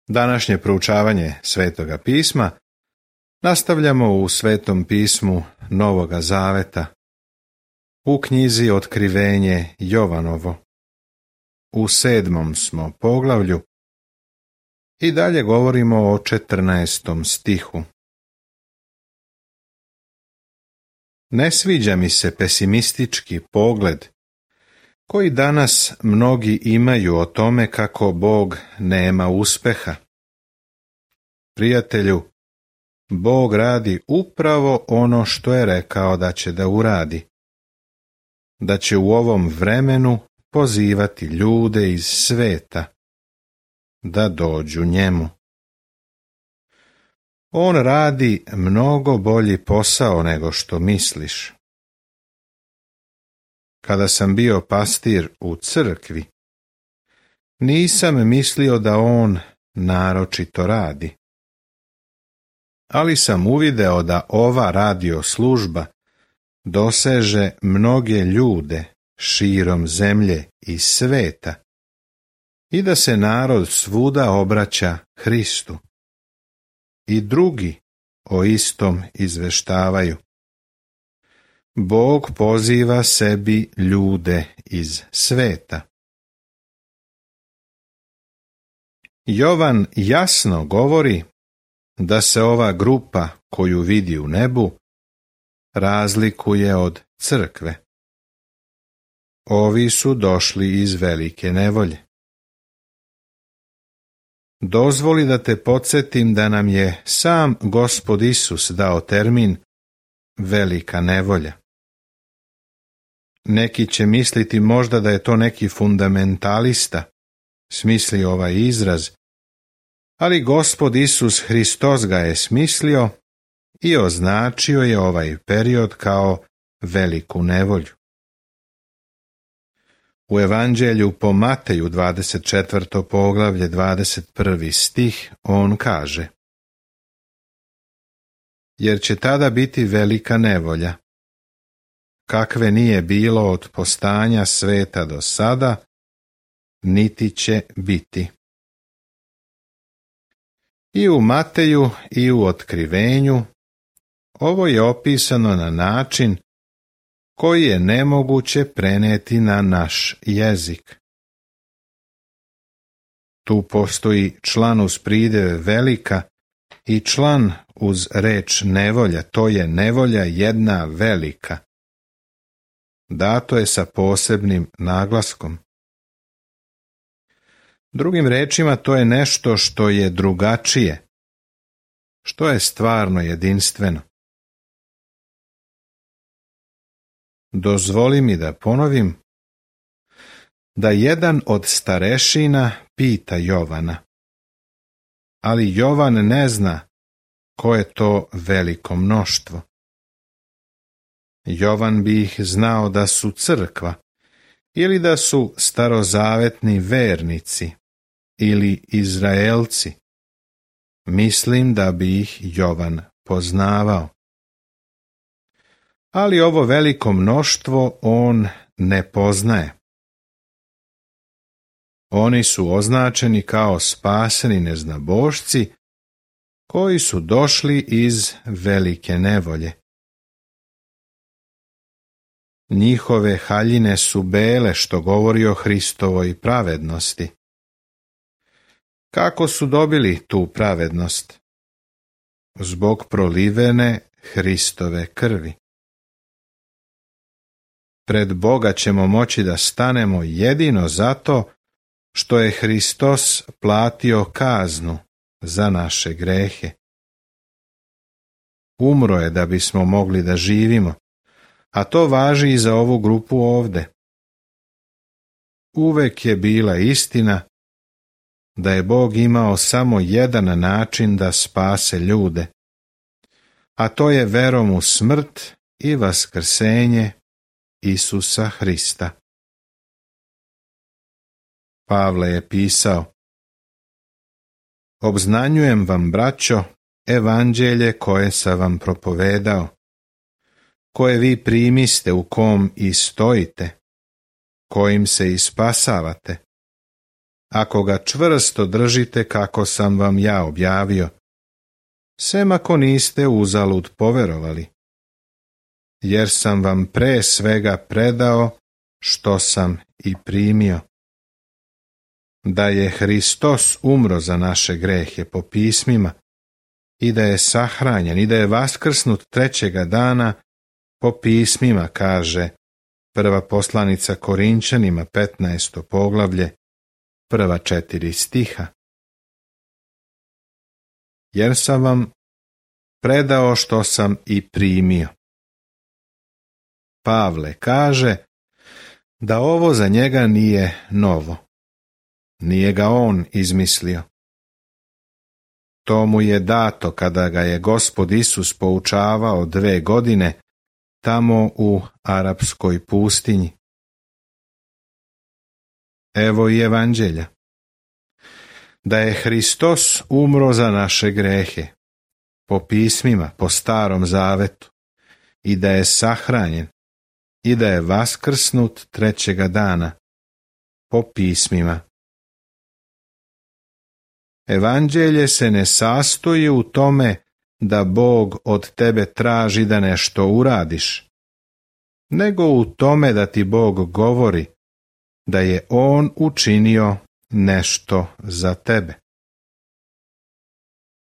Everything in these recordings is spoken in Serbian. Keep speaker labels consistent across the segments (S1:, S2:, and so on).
S1: Današnje proučavanje Svetoga pisma nastavljamo u Svetom pismu Novoga Zaveta, u knjizi Otkrivenje Jovanovo. U 7. smo poglavlju i dalje govorimo o 14. stihu. Ne sviđa mi se pesimistički pogled koji danas mnogi imaju o tome kako Bog nema uspeha. Prijatelju, Bog radi upravo ono što je rekao da će da uradi. Da će u ovom vremenu pozivati ljude iz sveta da dođu njemu. On radi mnogo bolji posao nego što misliš. Kada sam bio pastir u crkvi, nisam mislio da on naročito radi. Ali sam uvideo da ova radio služba doseže mnoge ljude širom zemlje i sveta i da se narod svuda obraća Hristu. I drugi o istom izveštavaju. Bog poziva sebi ljude iz sveta. Jovan jasno govori da se ova grupa koju vidi u nebu razlikuje od crkve. Ovi su došli iz velike nevolje. Dozvoli da te podsjetim da nam je sam Gospod Isus dao termin velika nevolja. Neki će misliti možda da je to neki fundamentalista, smisli ovaj izraz, ali Gospod Isus Hristos ga je smislio i označio je ovaj period kao veliku nevolju. U Evanđelju po Mateju 24. poglavlje 21. stih on kaže: jer će tada biti velika nevolja, kakve nije bilo od postanja sveta do sada, niti će biti. I u Mateju i u Otkrivenju ovo je opisano na način koji je nemoguće preneti na naš jezik. Tu postoji član uz pridjev velika i član uz reč nevolja, to je nevolja jedna velika. Dato je sa posebnim naglaskom. Drugim rečima, to je nešto što je drugačije, što je stvarno jedinstveno. Dozvoli mi da ponovim da jedan od starešina pita Jovana, ali Jovan ne zna ko je to veliko mnoštvo. Jovan bi ih znao da su crkva ili da su starozavetni vernici ili Izraelci. Mislim da bi ih Jovan poznavao. Ali ovo veliko mnoštvo on ne poznaje. Oni su označeni kao spaseni neznabošci koji su došli iz velike nevolje. Njihove haljine su bele, što govori o Hristovoj pravednosti. Kako su dobili tu pravednost? Zbog prolivene Hristove krvi. Pred Boga ćemo moći da stanemo jedino zato što je Hristos platio kaznu za naše grehe. Umro je da bismo mogli da živimo, a to važi i za ovu grupu ovde. Uvek je bila istina da je Bog imao samo jedan način da spase ljude, a to je verom u smrt i vaskrsenje Isusa Hrista. Pavle je pisao: obznanjujem vam, braćo, evanđelje koje sam vam propovedao, koje vi primiste, u kom i stojite, kojim se i spasavate, ako ga čvrsto držite kako sam vam ja objavio, sem ako niste uzalud poverovali, jer sam vam pre svega predao što sam i primio. Da je Hristos umro za naše grehe po pismima i da je sahranjen i da je vaskrsnut trećega dana po pismima, kaže prva poslanica Korinčanima 15. poglavlje, prva 4 stiha. Jer sam vam predao što sam i primio. Pavle kaže da ovo za njega nije novo. Nije ga on izmislio. To mu je dato kada ga je Gospod Isus poučavao 2 godine tamo u arapskoj pustinji. Evo i evanđelja. Da je Hristos umro za naše grehe, po pismima, po Starom zavetu, i da je sahranjen, i da je vaskrsnut trećega dana, po pismima. Evanđelje se ne sastoji u tome da Bog od tebe traži da nešto uradiš, nego u tome da ti Bog govori da je On učinio nešto za tebe.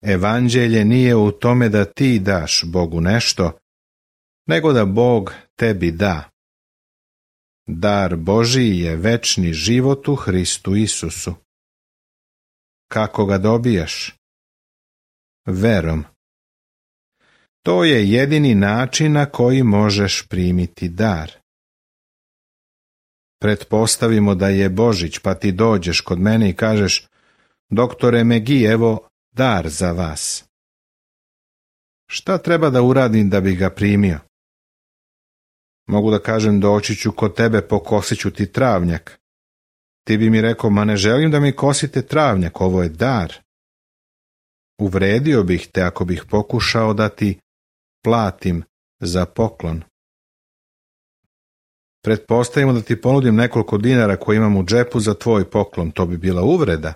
S1: Evanđelje nije u tome da ti daš Bogu nešto, nego da Bog tebi da. Dar Božiji je večni život u Hristu Isusu. Kako ga dobijaš? Verom. To je jedini način na koji možeš primiti dar. Pretpostavimo da je Božić, pa ti dođeš kod mene i kažeš: doktore Megi, evo dar za vas. Šta treba da uradim da bi ga primio? Mogu da kažem: doći ću kod tebe, pokosit ću ti travnjak. Ti bi mi rekao: ma ne želim da mi kosite travnjak, ovo je dar. Uvredio bih te ako bih pokušao da ti platim za poklon. Pretpostavimo da ti ponudim nekoliko dinara koje imam u džepu za tvoj poklon, to bi bila uvreda.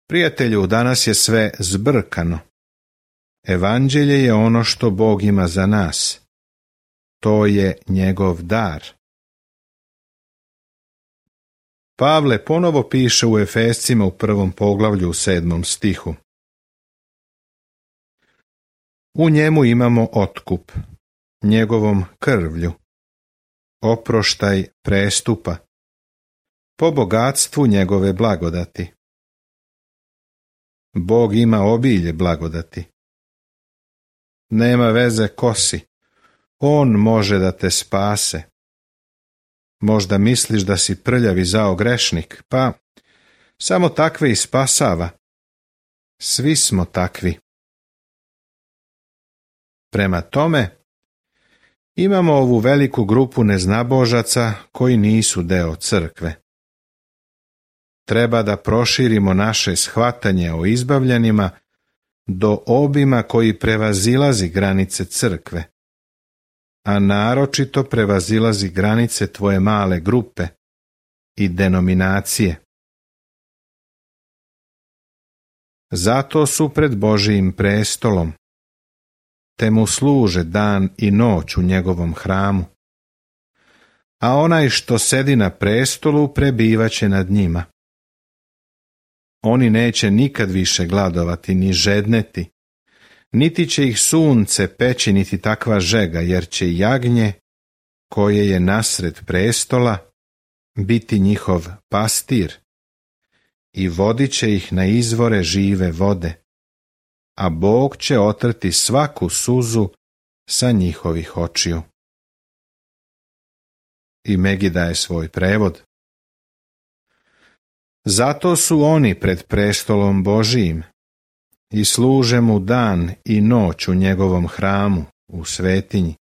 S1: Prijatelju, danas je sve zbrkano. Evanđelje je ono što Bog ima za nas. To je njegov dar. Pavle ponovo piše u Efescima u 1. poglavlju u 7. stihu. U njemu imamo otkup, njegovom krvlju, oproštaj prestupa, po bogatstvu njegove blagodati. Bog ima obilje blagodati. Nema veze ko si, On može da te spase. Možda misliš da si prljav i zao grešnik, pa samo takve i spasava. Svi smo takvi. Prema tome, imamo ovu veliku grupu neznabožaca koji nisu deo crkve. Treba da proširimo naše shvatanje o izbavljenima do obima koji prevazilazi granice crkve, a naročito prevazilazi granice tvoje male grupe i denominacije. Zato su pred Božijim prestolom, te mu služe dan i noć u njegovom hramu, a onaj što sedi na prestolu prebivaće nad njima. Oni neće nikad više gladovati ni žedneti, niti će ih sunce peći niti takva žega, jer će jagnje, koje je nasred prestola, biti njihov pastir i vodit će ih na izvore žive vode, a Bog će otrti svaku suzu sa njihovih očiju. I Megi daje svoj prevod. Zato su oni pred prestolom Božijim i služe mu dan i noć u njegovom hramu, u svetinji.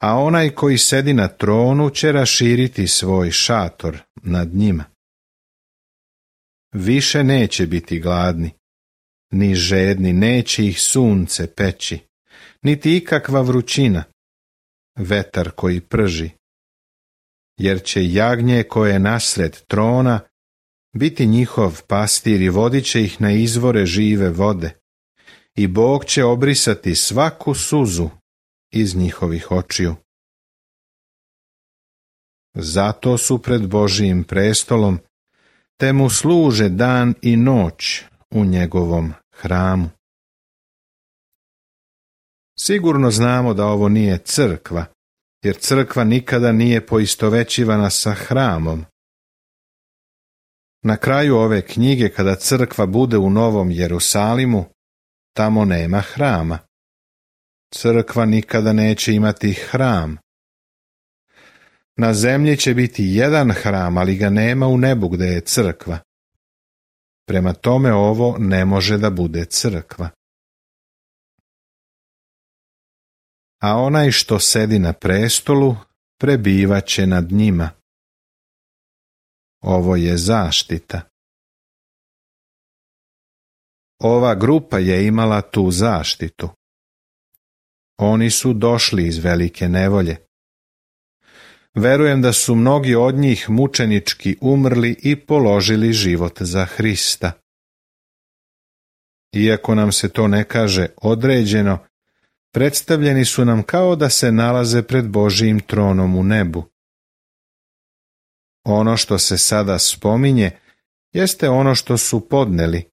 S1: A onaj koji sedi na tronu će raširiti svoj šator nad njima. Više neće biti gladni, ni žedni, neće ih sunce peći, niti ikakva vrućina, vetar koji prži. jer će jagnje koje je nasred trona biti njihov pastir i vodit će ih na izvore žive vode, i Bog će obrisati svaku suzu iz njihovih očiju. Zato su pred Božijim prestolom, te mu služe dan i noć u njegovom hramu. Sigurno znamo da ovo nije crkva, jer crkva nikada nije poistovećivana sa hramom. Na kraju ove knjige, kada crkva bude u Novom Jerusalimu, tamo nema hrama. Crkva nikada neće imati hram. Na zemlji će biti jedan hram, ali ga nema u nebu gde je crkva. Prema tome ovo ne može da bude crkva. A onaj što sedi na prestolu prebivaće nad njima. Ovo je zaštita. Ova grupa je imala tu zaštitu. Oni su došli iz velike nevolje. Verujem da su mnogi od njih mučenički umrli i položili život za Hrista. Iako nam se to ne kaže određeno, predstavljeni su nam kao da se nalaze pred Božijim tronom u nebu. Ono što se sada spominje jeste ono što su podneli.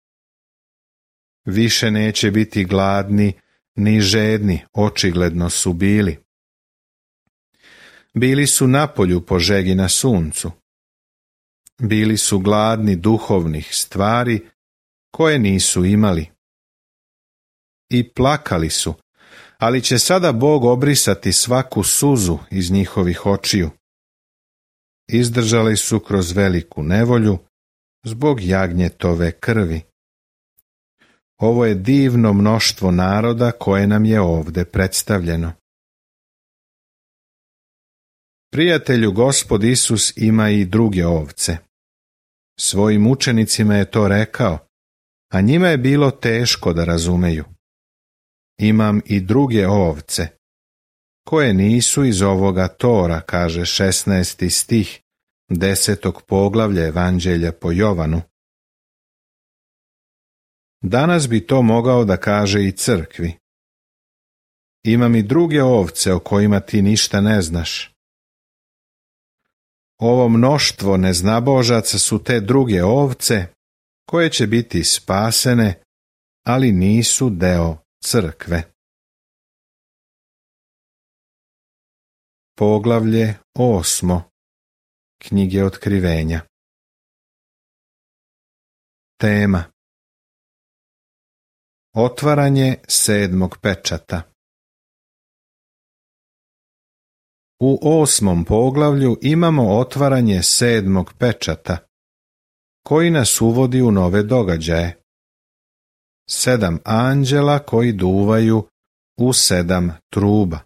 S1: Više neće biti gladni ni žedni, očigledno su bili. Bili su napolju po žegi na suncu. Bili su gladni duhovnih stvari koje nisu imali. I plakali su, ali će sada Bog obrisati svaku suzu iz njihovih očiju. Izdržali su kroz veliku nevolju zbog jagnjetove krvi. Ovo je divno mnoštvo naroda koje nam je ovde predstavljeno. Prijatelju, Gospod Isus ima i druge ovce. Svojim učenicima je to rekao, a njima je bilo teško da razumeju. Imam i druge ovce, koje nisu iz ovoga tora, kaže 16. stih 10. poglavlja Evanđelja po Jovanu. Danas bi to mogao da kaže i crkvi. Imam i druge ovce o kojima ti ništa ne znaš. Ovo mnoštvo neznabožaca su te druge ovce koje će biti spasene, ali nisu deo crkve. Poglavlje 8. Knjige Otkrivenja. Tema: Otvaranje 7. pečata. U 8. poglavlju imamo otvaranje 7. pečata, koji nas uvodi u nove događaje. 7 anđela koji duvaju u 7 truba.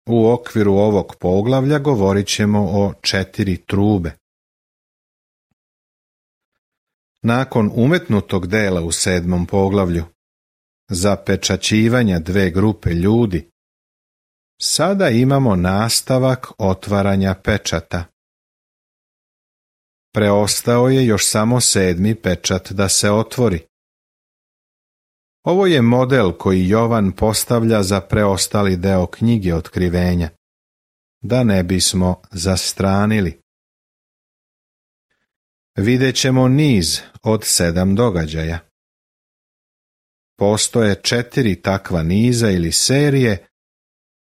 S1: U okviru ovog poglavlja govorit ćemo o 4 trube. Nakon umetnutog dela u 7. poglavlju, zapečaćivanja 2 grupe ljudi, sada imamo nastavak otvaranja pečata. Preostao je još samo 7. pečat da se otvori. Ovo je model koji Jovan postavlja za preostali deo knjige Otkrivenja, da ne bismo zastranili. Vidjet ćemo niz od 7 događaja. Postoje 4 takva niza ili serije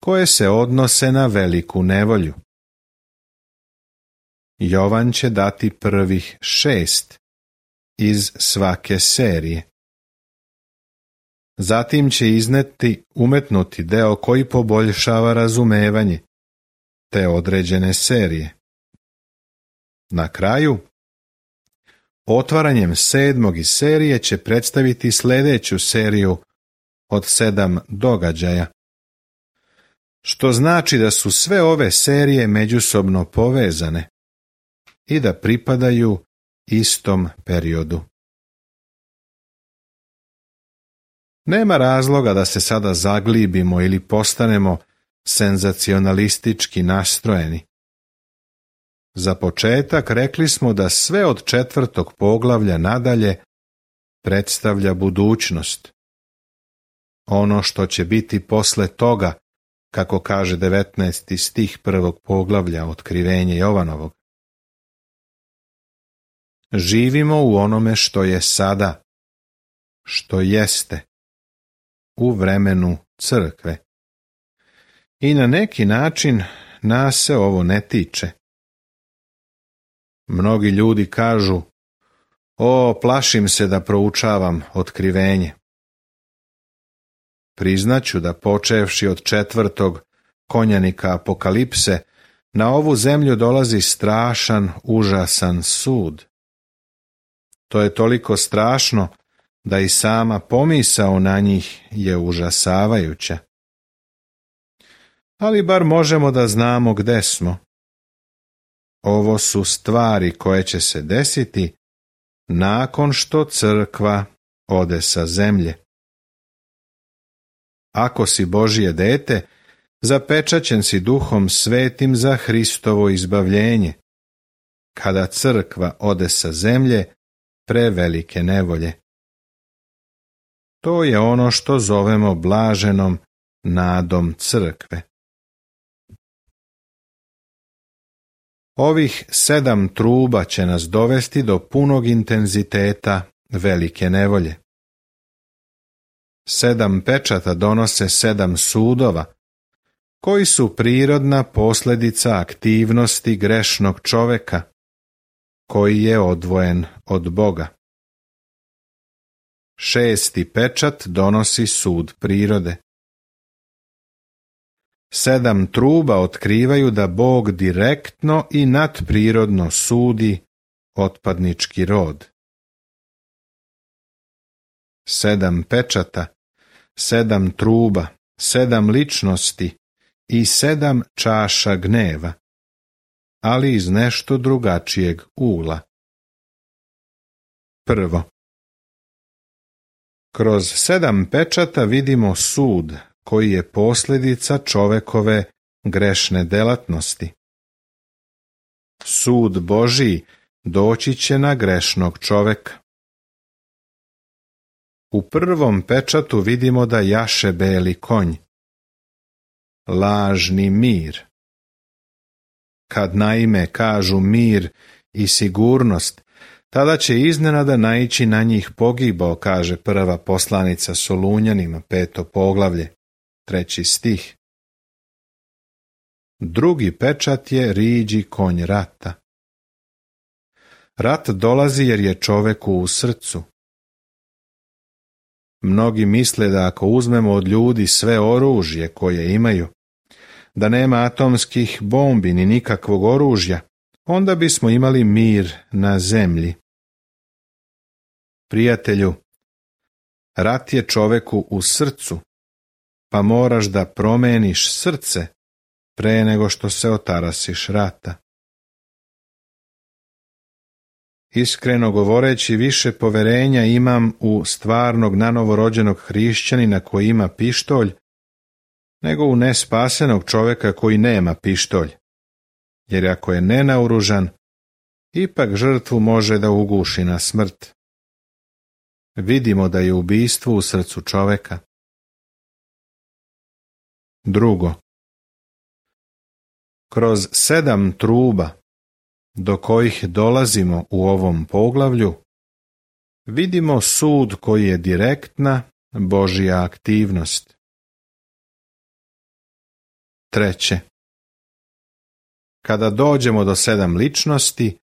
S1: koje se odnose na veliku nevolju. Jovan će dati prvih 6 iz svake serije. Zatim će izneti umetnuti deo koji poboljšava razumevanje te određene serije. Na kraju, otvaranjem 7. iz serije će predstaviti sljedeću seriju od 7 događaja, što znači da su sve ove serije međusobno povezane i da pripadaju istom periodu. Nema razloga da se sada zaglibimo ili postanemo senzacionalistički nastrojeni. Za početak rekli smo da sve od 4. poglavlja nadalje predstavlja budućnost. Ono što će biti posle toga, kako kaže 19. stih 1. poglavlja Otkrivenje Jovanovog. Živimo u onome što je sada, što jeste, u vremenu crkve. I na neki način nas se ovo ne tiče. Mnogi ljudi kažu: o, plašim se da proučavam Otkrivenje. Priznaću da počevši od 4. konjanika Apokalipse, na ovu zemlju dolazi strašan, užasan sud. To je toliko strašno da i sama pomisao na njih je užasavajuća. Ali bar možemo da znamo gde smo. Ovo su stvari koje će se desiti nakon što crkva ode sa zemlje. Ako si Božje dete, zapečaćen si Duhom Svetim za Hristovo izbavljenje, kada crkva ode sa zemlje prevelike nevolje. To je ono što zovemo blaženom nadom crkve. Ovih 7 truba će nas dovesti do punog intenziteta velike nevolje. 7 pečata donose 7 sudova, koji su prirodna posljedica aktivnosti grešnog čoveka, koji je odvojen od Boga. 6. pečat donosi sud prirode. 7 truba otkrivaju da Bog direktno i nadprirodno sudi otpadnički rod. 7 pečata, 7 truba, 7 ličnosti i 7 čaša gneva, ali iz nešto drugačijeg ugla. Prvo, kroz 7 pečata vidimo sud koji je posljedica čovekove grešne delatnosti. Sud Božji doći će na grešnog čoveka. U prvom pečatu vidimo da jaše beli konj. Lažni mir. Kad naime kažu mir i sigurnost, tada će iznenada naići na njih pogibao, kaže prva poslanica Solunjanima, 5. poglavlje, 3. stih. Drugi pečat je riđi konj rata. Rat dolazi jer je čoveku u srcu. Mnogi misle da ako uzmemo od ljudi sve oružje koje imaju, da nema atomskih bombi ni nikakvog oružja, onda bismo imali mir na zemlji. Prijatelju, rat je čoveku u srcu, pa moraš da promeniš srce pre nego što se otarasiš rata. Iskreno govoreći, više poverenja imam u stvarnog nanovorođenog hrišćanina koji ima pištolj, nego u nespasenog čoveka koji nema pištolj, jer ako je nenaoružan, ipak žrtvu može da uguši na smrt. Vidimo da je ubistvo u srcu čoveka. Drugo, kroz 7 truba, do kojih dolazimo u ovom poglavlju, vidimo sud koji je direktna Božja aktivnost. Treće, kada dođemo do 7 ličnosti,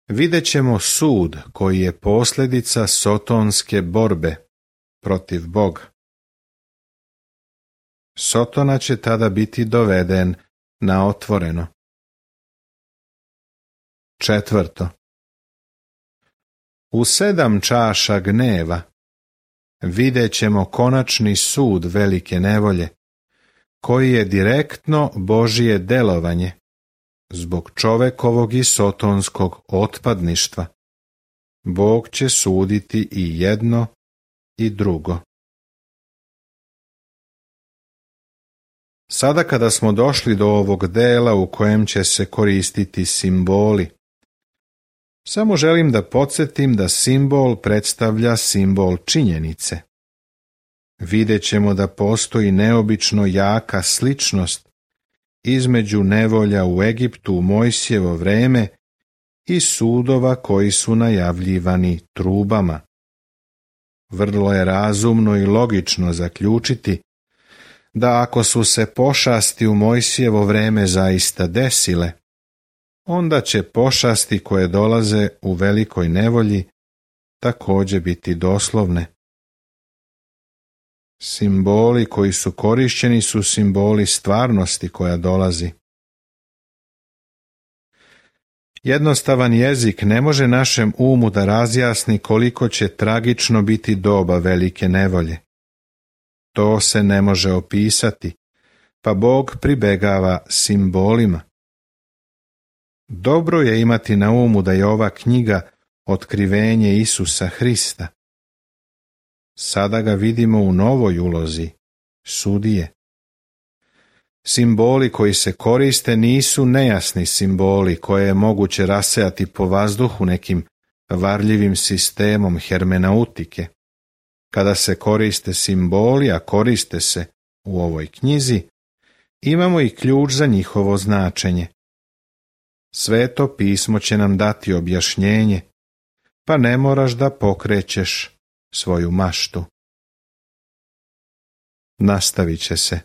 S1: vidjet ćemo sud koji je posljedica sotonske borbe protiv Boga. Sotona će tada biti doveden na otvoreno. Četvrto, u 7 čaša gneva vidjet ćemo konačni sud velike nevolje, koji je direktno Božje delovanje zbog čovekovog i sotonskog otpadništva. Bog će suditi i jedno i drugo. Sada kada smo došli do ovog dela u kojem će se koristiti simboli, samo želim da podsjetim da simbol predstavlja simbol činjenice. Vidjet ćemo da postoji neobično jaka sličnost između nevolja u Egiptu u Mojsijevo vreme i sudova koji su najavljivani trubama. Vrlo je razumno i logično zaključiti da ako su se pošasti u Mojsijevo vreme zaista desile, onda će pošasti koje dolaze u velikoj nevolji također biti doslovne. Simboli koji su korišćeni su simboli stvarnosti koja dolazi. Jednostavan jezik ne može našem umu da razjasni koliko će tragično biti doba velike nevolje. To se ne može opisati, pa Bog pribegava simbolima. Dobro je imati na umu da je ova knjiga otkrivenje Isusa Hrista. Sada ga vidimo u novoj ulozi, sudije. Simboli koji se koriste nisu nejasni simboli koje je moguće rasejati po vazduhu nekim varljivim sistemom hermenautike. Kada se koriste simboli, a koriste se u ovoj knjizi, imamo i ključ za njihovo značenje. Sveto pismo će nam dati objašnjenje, pa ne moraš da pokrećeš svoju maštu. Nastavit će se.